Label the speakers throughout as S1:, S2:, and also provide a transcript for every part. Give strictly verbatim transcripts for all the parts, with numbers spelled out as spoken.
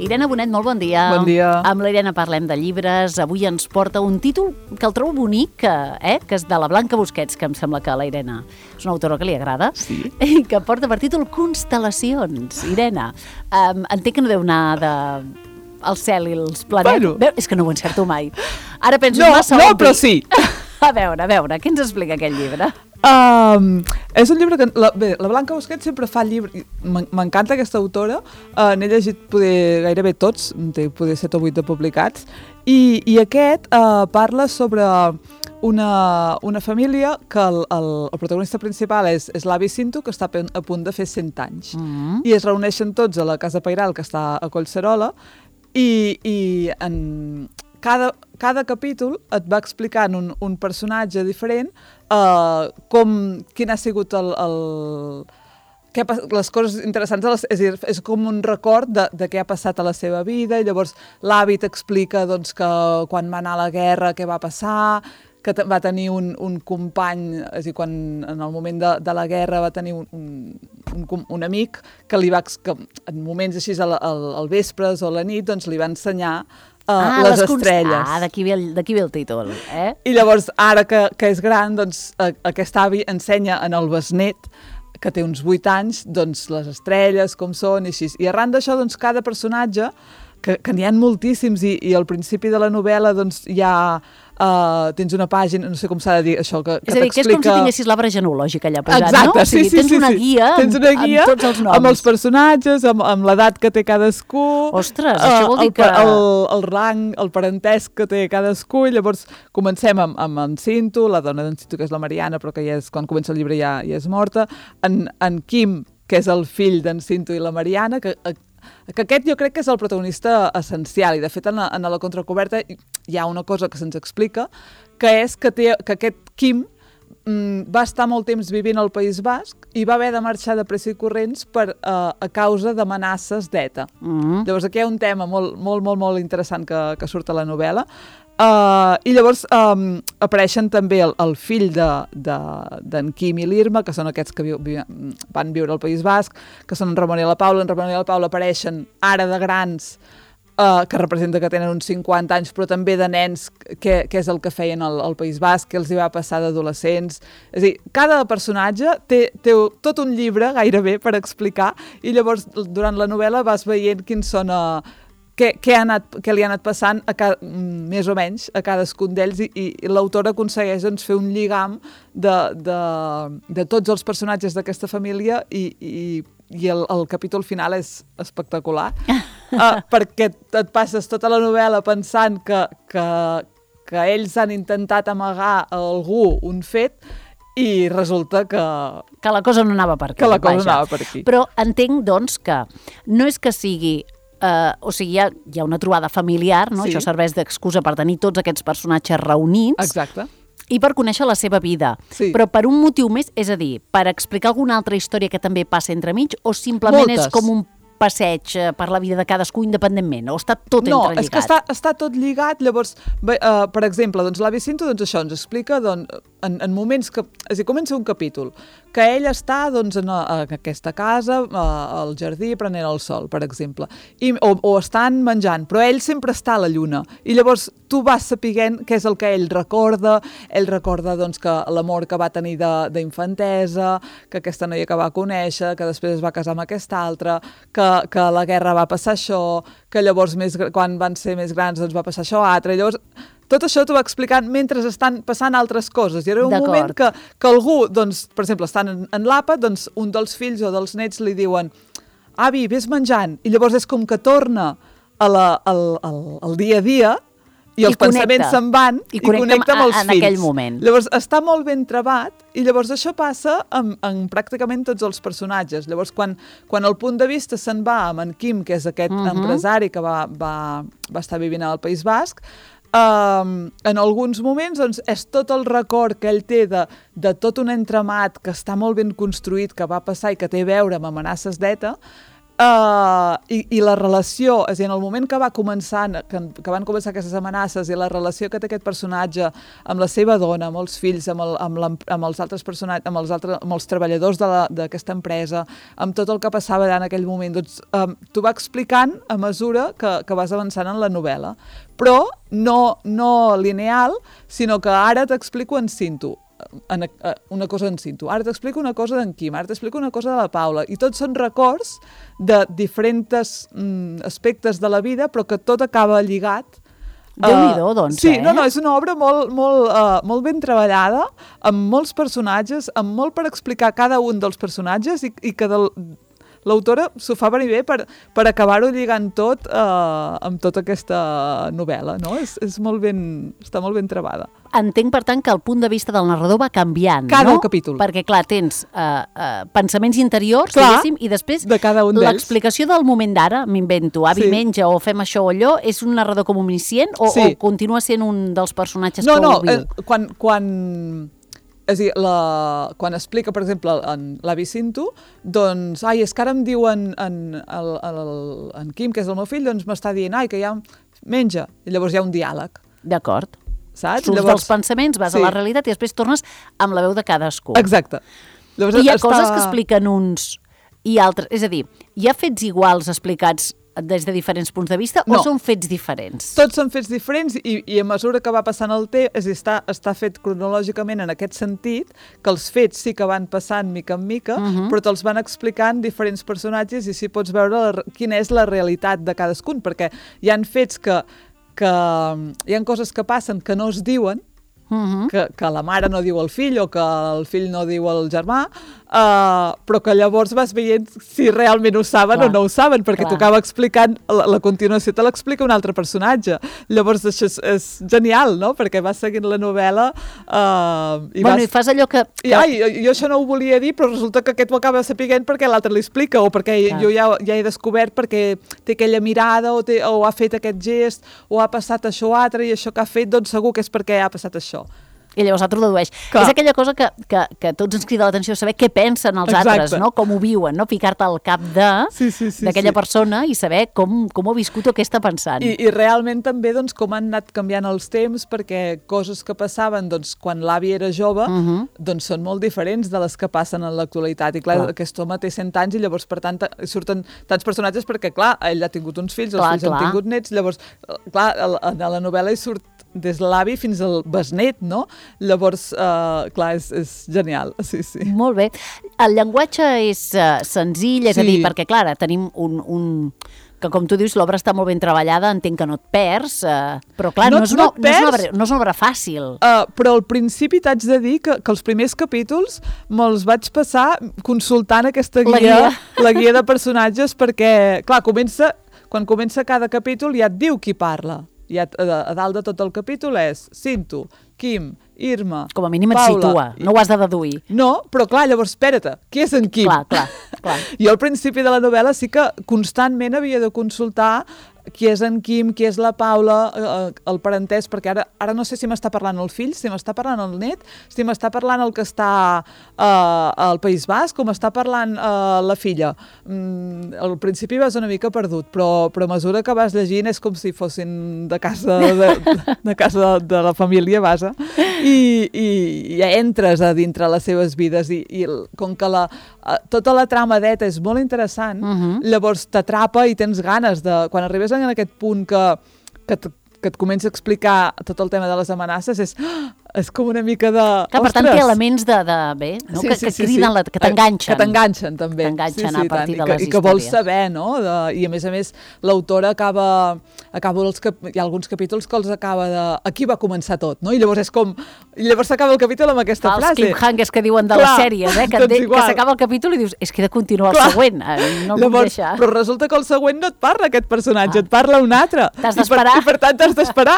S1: Irene Bonet, molt bon dia.
S2: Bon dia.
S1: Amb la Irene parlem de llibres. Avui ens porta un títol que el trobo bonic, eh? que és de la Blanca Busquets, que em sembla que a la Irene és una autora que li agrada,
S2: sí.
S1: i que porta per títol Constel·lacions. Irene, um, entenc que no deu anar de... el cel i els planetes.
S2: Bueno.
S1: Veu, és que no ho encerto mai. Ara penso
S2: No,
S1: massa
S2: no,
S1: obvi.
S2: però sí.
S1: A veure, a veure, què ens explica aquest llibre?
S2: Um, és un llibre que... La, bé, la Blanca Busquets sempre fa llibres... M'encanta aquesta autora. Uh, N'he llegit poder, gairebé tots, té poder set o vuit de publicats. I, i aquest uh, parla sobre una, una família que el, el, el protagonista principal és, és l'avi Cinto, que està a punt de fer cent anys.
S1: Mm.
S2: I es reuneixen tots a la Casa Pairal, que està a Collserola, i, i en cada, cada capítol et va explicant un, un personatge diferent uh, com, quin ha sigut el... el què ha, les coses interessants, de les, és, dir, és com un record de, de què ha passat a la seva vida, i llavors l'avi t'explica doncs, que quan va anar a la guerra què va passar, que va tenir un, un company, és a dir, quan en el moment de, de la guerra va tenir un, un, un, un amic que li va, que en moments així al, al, al vespres o a la nit, doncs li va ensenyar uh,
S1: ah,
S2: les, les
S1: const...
S2: estrelles.
S1: Ah, d'aquí ve, el, ve el títol, eh?
S2: I llavors, ara que, que és gran, doncs uh, aquest avi ensenya en el besnet, que té uns vuit anys, doncs les estrelles, com són, i així. I arran d'això, doncs, cada personatge, que, que n'hi ha moltíssims, i, i al principi de la novel·la, doncs, hi ha... Uh, tens una pàgina, no sé com s'ha de dir això, que, que
S1: és a dir, que és com si tinguessis l'arbre genològic allà posat,
S2: exacte,
S1: no? O sigui,
S2: sí, sí,
S1: tens
S2: sí,
S1: una
S2: sí.
S1: guia,
S2: tens una guia
S1: amb tots els noms.
S2: amb els personatges, amb, amb l'edat que té cadascú.
S1: Ostres, això vol dir
S2: el,
S1: que...
S2: El, el rang, el parentesc que té cadascú, i llavors comencem amb, amb en Cinto, la dona d'en Cinto, que és la Mariana, però que ja és, quan comença el llibre ja, ja és morta, en, en Quim, que és el fill d'en Cinto i la Mariana, que... que aquest jo crec que és el protagonista essencial, i de fet en la, en la contracoberta hi ha una cosa que se'ns explica, que és que, té, que aquest Quim mm, va estar molt temps vivint al País Basc i va haver de marxar de pressa i corrents per, uh, a causa d'amenaces d'ETA. Mm-hmm. Llavors aquí hi ha un tema molt, molt, molt, molt interessant que, que surt a la novel·la. Uh, I llavors um, apareixen també el, el fill d'en de, de, Quim i l'Irma, que són aquests que vi, vi, van viure al País Basc, que són en Ramon i la Paula. En Ramon i la Paula apareixen ara de grans, uh, que representa que tenen uns cinquanta anys, però també de nens, que, que és el que feien al, al País Basc, que els hi va passar d'adolescents. És a dir, cada personatge té, té tot un llibre gairebé per explicar, i llavors durant la novel·la vas veient quins són... Uh, Què, què, ha anat, què li ha anat passant a cada, més o menys a cadascun d'ells, i, i l'autor aconsegueix doncs, fer un lligam de, de, de tots els personatges d'aquesta família, i, i, i el, el capítol final és espectacular, uh, perquè et passes tota la novel·la pensant que, que, que ells han intentat amagar a algú un fet, i resulta que...
S1: Que la cosa no anava per aquí.
S2: Que la cosa
S1: vaja.
S2: no anava per aquí.
S1: Però entenc, doncs, que no és que sigui... Uh, o sigui, hi ha, hi ha una trobada familiar, no? Sí. Això serveix d'excusa per tenir tots aquests personatges reunits.
S2: Exacte.
S1: I per conèixer la seva vida. Sí. Però per un motiu més, és a dir, per explicar alguna altra història que també passa entremig, o simplement
S2: Moltes.
S1: És com un passeig per la vida de cadascú independentment, o està tot
S2: no,
S1: entrelligat?
S2: No, és que està, està tot lligat. Llavors, bé, uh, per exemple, doncs, l'avi Cinto, doncs, això ens explica doncs, en, en moments que... És a dir, comença un capítol que ell està doncs, en, a, en aquesta casa, a, al jardí, prenent el sol, per exemple, I, o, o estan menjant, però ell sempre està a la lluna, i llavors tu vas sapiguent què és el que ell recorda. Ell recorda doncs, que l'amor que va tenir d'infantesa, que aquesta noia que va conèixer, que després es va casar amb aquesta altra, que que a la guerra va passar això, que llavors més, quan van ser més grans doncs va passar això altre, i llavors tot això t'ho va explicant mentre estan passant altres coses, i era un moment que, que algú, doncs, per exemple, estan en, en l'àpat, doncs un dels fills o dels nets li diuen avi, vés menjant, i llavors és com que torna a la, al, al, al dia a dia, i els I pensaments se'n van i,
S1: i connecta,
S2: connecta amb els
S1: en
S2: fills.
S1: Aquell moment.
S2: Llavors està molt ben trebat, i llavors això passa en, en pràcticament tots els personatges. Llavors quan, quan el punt de vista se'n va amb en Quim, que és aquest uh-huh. empresari que va, va, va estar vivint al País Basc, Um, en alguns moments doncs, és tot el record que ell té de, de tot un entramat que està molt ben construït, que va passar i que té a veure amb amenaces d'ETA, Uh, i, i la relació, és a dir, en el moment que va començant, que, que van començar aquestes amenaces i la relació que té aquest personatge amb la seva dona, amb els fills, amb, el, amb, la, amb els altres personatges, amb els, altres, amb els treballadors d'aquesta empresa, amb tot el que passava en aquell moment, doncs um, t'ho va explicant a mesura que, que vas avançant en la novel·la. Però no, no lineal, sinó que ara t'explico en cinto. En, uh, una cosa en cinto. Ara t'explico una cosa d'en Quim, ara t'explico una cosa de la Paula, i tots són records de diferents mm, aspectes de la vida, però que tot acaba lligat.
S1: Déu-n'hi-do, doncs,
S2: sí,
S1: eh?
S2: no, no, és una obra molt, molt, uh, molt ben treballada, amb molts personatges, amb molt per explicar cada un dels personatges, i, i que del, l'autora s'ho fa venir bé per, per acabar-ho lligant tot uh, amb tota aquesta novel·la, no? És, és molt ben, està molt ben trebada.
S1: Entenc, per tant, que el punt de vista del narrador va canviant,
S2: cada
S1: no?
S2: capítol.
S1: Perquè, clar, tens uh, uh, pensaments interiors,
S2: clar,
S1: diguéssim, i després
S2: de cada un
S1: l'explicació del moment d'ara, m'invento, avi sí. menja o fem això o allò, és un narrador com omniscient o, sí. o continua sent un dels personatges
S2: no,
S1: que
S2: no,
S1: ho viu?
S2: No, no, quan... quan... És a dir, la, quan explica, per exemple, en l'avi Cinto, doncs, ai, és que ara em diuen en, el, el, en Quim, que és el meu fill, doncs m'està dient, ai, que ja menja. I llavors hi ha un diàleg.
S1: D'acord.
S2: Saps?
S1: Surts
S2: llavors,
S1: dels pensaments, vas
S2: sí.
S1: a la realitat i després tornes amb la veu de cadascú.
S2: Exacte. Llavors,
S1: I hi ha
S2: està...
S1: coses que expliquen uns i altres. És a dir, hi ha fets iguals explicats des de diferents punts de vista
S2: no.
S1: o són fets diferents?
S2: Tots són fets diferents i, i a mesura que va passant el temps, és a dir, està, està fet cronològicament en aquest sentit, que els fets sí que van passant mica en mica, uh-huh. però te'ls van explicant diferents personatges i sí pots veure la, quina és la realitat de cadascun, perquè hi han fets que, que hi han coses que passen que no es diuen, uh-huh. que, que la mare no diu al fill o que el fill no diu al germà, uh, però que llavors vas veient si realment ho saben clar. O no ho saben, perquè clar. T'ho acaba explicant, la, la continuació te l'explica un altre personatge. Llavors això és, és genial, no? Perquè vas seguint la novel·la uh, i
S1: bueno,
S2: vas...
S1: i fas allò que... que...
S2: I, ai, jo això no ho volia dir, però resulta que aquest ho acaba sapiguent perquè l'altre li explica, o perquè clar. Jo ja, ja he descobert perquè té aquella mirada o, té, o ha fet aquest gest o ha passat això o altre i això que ha fet, doncs segur que és perquè ha passat això.
S1: I llavors l'altre ho dedueix. Clar. És aquella cosa que, que, que tots ens crida l'atenció, saber què pensen els
S2: exacte.
S1: Altres, no? Com ho viuen, no? Ficar-te al cap de
S2: sí, sí, sí,
S1: d'aquella
S2: sí.
S1: persona i saber com, com ho ha viscut o què està pensant.
S2: I, i realment també doncs, com han anat canviant els temps, perquè coses que passaven doncs, quan l'avi era jove uh-huh. doncs, són molt diferents de les que passen en l'actualitat. I clar, clar. Aquest home té cent anys i llavors per tant surten tants personatges perquè clar, ell ha tingut uns fills, els clar, fills clar. Han tingut nets, llavors clar, a la novel·la hi surt des de l'avi fins al besnet, no? Llavors, uh, clar, és, és genial, sí, sí.
S1: Molt bé. El llenguatge és uh, senzill, és sí. a dir, perquè, clar, tenim un, un... que, com tu dius, l'obra està molt ben treballada, entenc que no et perds, uh, però, clar, no, no, és, una, no, és, una obra, no és una obra fàcil.
S2: Uh, però al principi t'haig de dir que, que els primers capítols me'ls vaig passar consultant aquesta guia, la guia, la guia de personatges, perquè, clar, comença, quan comença cada capítol ja et diu qui parla. I a, a, a dalt de tot el capítol és Cinto, Quim, Irma,
S1: com a mínim et
S2: Paula,
S1: situa, no ho has de deduir.
S2: No, però clar, llavors, espera't, qui és en Quim?
S1: Clar, clar, clar.
S2: Jo al principi de la novel·la sí que constantment havia de consultar qui és en Quim, qui és la Paula, eh, el parentès, perquè ara, ara no sé si m'està parlant el fill, si m'està parlant el net, si m'està parlant el que està eh, al País Basc, o m'està parlant eh, la filla. Mm, al principi vas una mica perdut, però, però a mesura que vas llegint és com si fossin de casa de, de, casa de, de la família, vaja, i, i, i entres a dintre les seves vides, i, i com que la, tota la trama d'Eta és molt interessant, uh-huh. llavors t'atrapa i tens ganes de... Quan arribes en aquest punt que, que, que et comença a explicar tot el tema de les amenaces, és, és com una mica de...
S1: Que, per tant, té elements de, de bé, no?
S2: Sí,
S1: que,
S2: sí,
S1: que
S2: sí,
S1: criden,
S2: sí.
S1: La, que t'enganxen.
S2: Que t'enganxen, també.
S1: T'enganxen
S2: sí, sí,
S1: a partir
S2: tant.
S1: de les
S2: I que,
S1: històries.
S2: I que vols saber, no? De, I a més a més, l'autora acaba... acaba els cap, hi ha alguns capítols que els acaba de... Aquí va començar tot, no? I llavors és com... I llavors s'acaba el capítol amb aquesta
S1: els
S2: frase.
S1: Els cliffhangers que diuen de
S2: clar,
S1: les sèries, eh? Que,
S2: doncs
S1: de, que s'acaba el capítol i dius, és que he de continuar clar. El següent, no el
S2: llavors,
S1: puc deixar.
S2: Però resulta que el següent no et parla aquest personatge, ah. et parla un altre.
S1: T'has d'esperar.
S2: I, per, I per tant t'has d'esperar.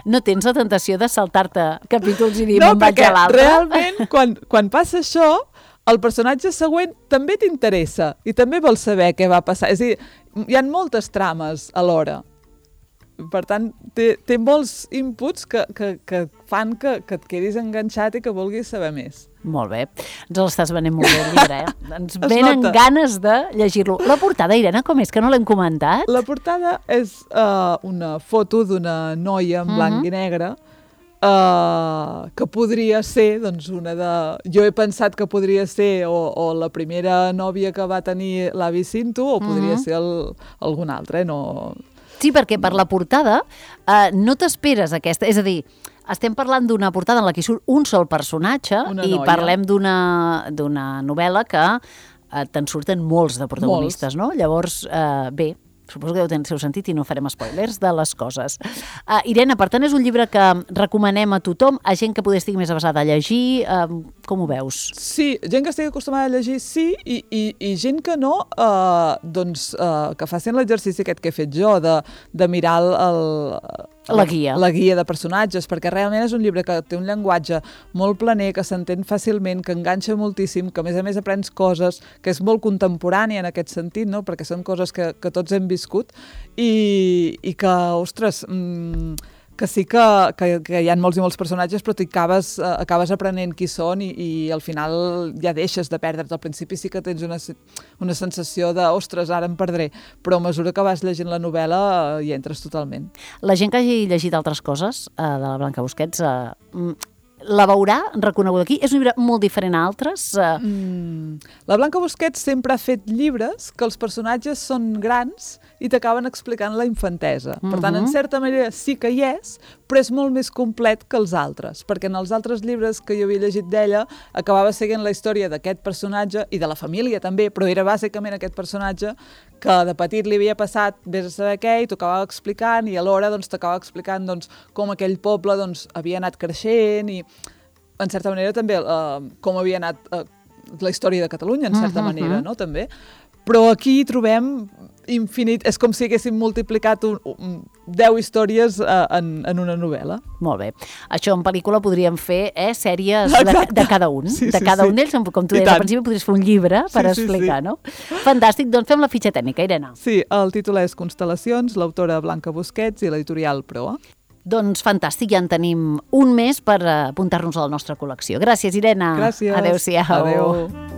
S1: No tens la tentació de saltar-te capítols i dir,
S2: no,
S1: me'n vaig a l'altre?
S2: No, perquè realment, quan, quan passa això, el personatge següent també t'interessa i també vols saber què va passar. És a dir, hi ha moltes trames alhora. Per tant, té, té molts inputs que, que, que fan que, que et quedis enganxat i que vulguis saber més.
S1: Molt bé. Ens l'estàs venent molt bé, el llibre, eh? Ens venen ganes de llegir-lo. La portada, Irene, com és? Que no l'hem comentat?
S2: La portada és uh, una foto d'una noia en blanc uh -huh. i negre uh, que podria ser, doncs, una de... Jo he pensat que podria ser o, o la primera nòvia que va tenir l'avi Cinto o podria uh -huh. ser el, algun altre, eh? No...
S1: Sí, perquè per la portada uh, no t'esperes aquesta... És a dir, estem parlant d'una portada en la que surt un sol personatge una i noia. Parlem d'una d'una novel·la que eh, te'n surten molts de protagonistes, molts. No? Llavors, eh, bé, suposo que deu tenir el seu sentit i no farem spoilers de les coses. Uh, Irene, per tant, és un llibre que recomanem a tothom, a gent que poder estigui més avasada a llegir. Uh, com ho veus?
S2: Sí, gent que estigui acostumada a llegir, sí, i, i, i gent que no, uh, doncs, uh, que facin l'exercici aquest que he fet jo, de, de mirar el... el
S1: La guia.
S2: La guia de personatges, perquè realment és un llibre que té un llenguatge molt planer, que s'entén fàcilment, que enganxa moltíssim, que a més a més aprens coses, que és molt contemporània en aquest sentit, no? Perquè són coses que, que tots hem viscut i, i que, ostres... Mmm, que sí que, que, que hi ha molts i molts personatges, però t'hi acabes, uh, acabes aprenent qui són i, i al final ja deixes de perdre't. Al principi sí que tens una, una sensació de, ostres, ara em perdré, però a mesura que vas llegint la novel·la uh, hi entres totalment.
S1: La gent que hagi llegit altres coses uh, de la Blanca Busquets uh, la veurà reconeguda aquí? És un llibre molt diferent a altres? Uh...
S2: Mm. La Blanca Busquets sempre ha fet llibres que els personatges són grans i t'acaben explicant la infantesa. Uh-huh. Per tant, en certa manera sí que hi és, però és molt més complet que els altres, perquè en els altres llibres que jo havia llegit d'ella acabava seguint la història d'aquest personatge i de la família també, però era bàsicament aquest personatge que de petit li havia passat vés a saber què i t'ho acabava explicant i alhora doncs, t'acabava explicant doncs, com aquell poble doncs, havia anat creixent i en certa manera també uh, com havia anat uh, la història de Catalunya, en certa uh-huh, manera, no? També. Però aquí trobem infinit, és com si haguéssim multiplicat un, un, deu històries uh, en, en una novel·la.
S1: Molt bé. Això en pel·lícula podríem fer eh, sèries de, de cada un. Sí, de sí, cada sí. un d'ells, com tu deies al principi, podries fer un llibre per sí, explicar, sí, sí. no? Fantàstic, doncs fem la fitxa tècnica, Irene.
S2: Sí, el títol és Constel·lacions, l'autora Blanca Busquets i l'editorial Proa.
S1: Doncs fantàstic, ja en tenim un mes per apuntar-nos a la nostra col·lecció. Gràcies, Irene.
S2: Gràcies.
S1: Adéu-siau.
S2: Adéu.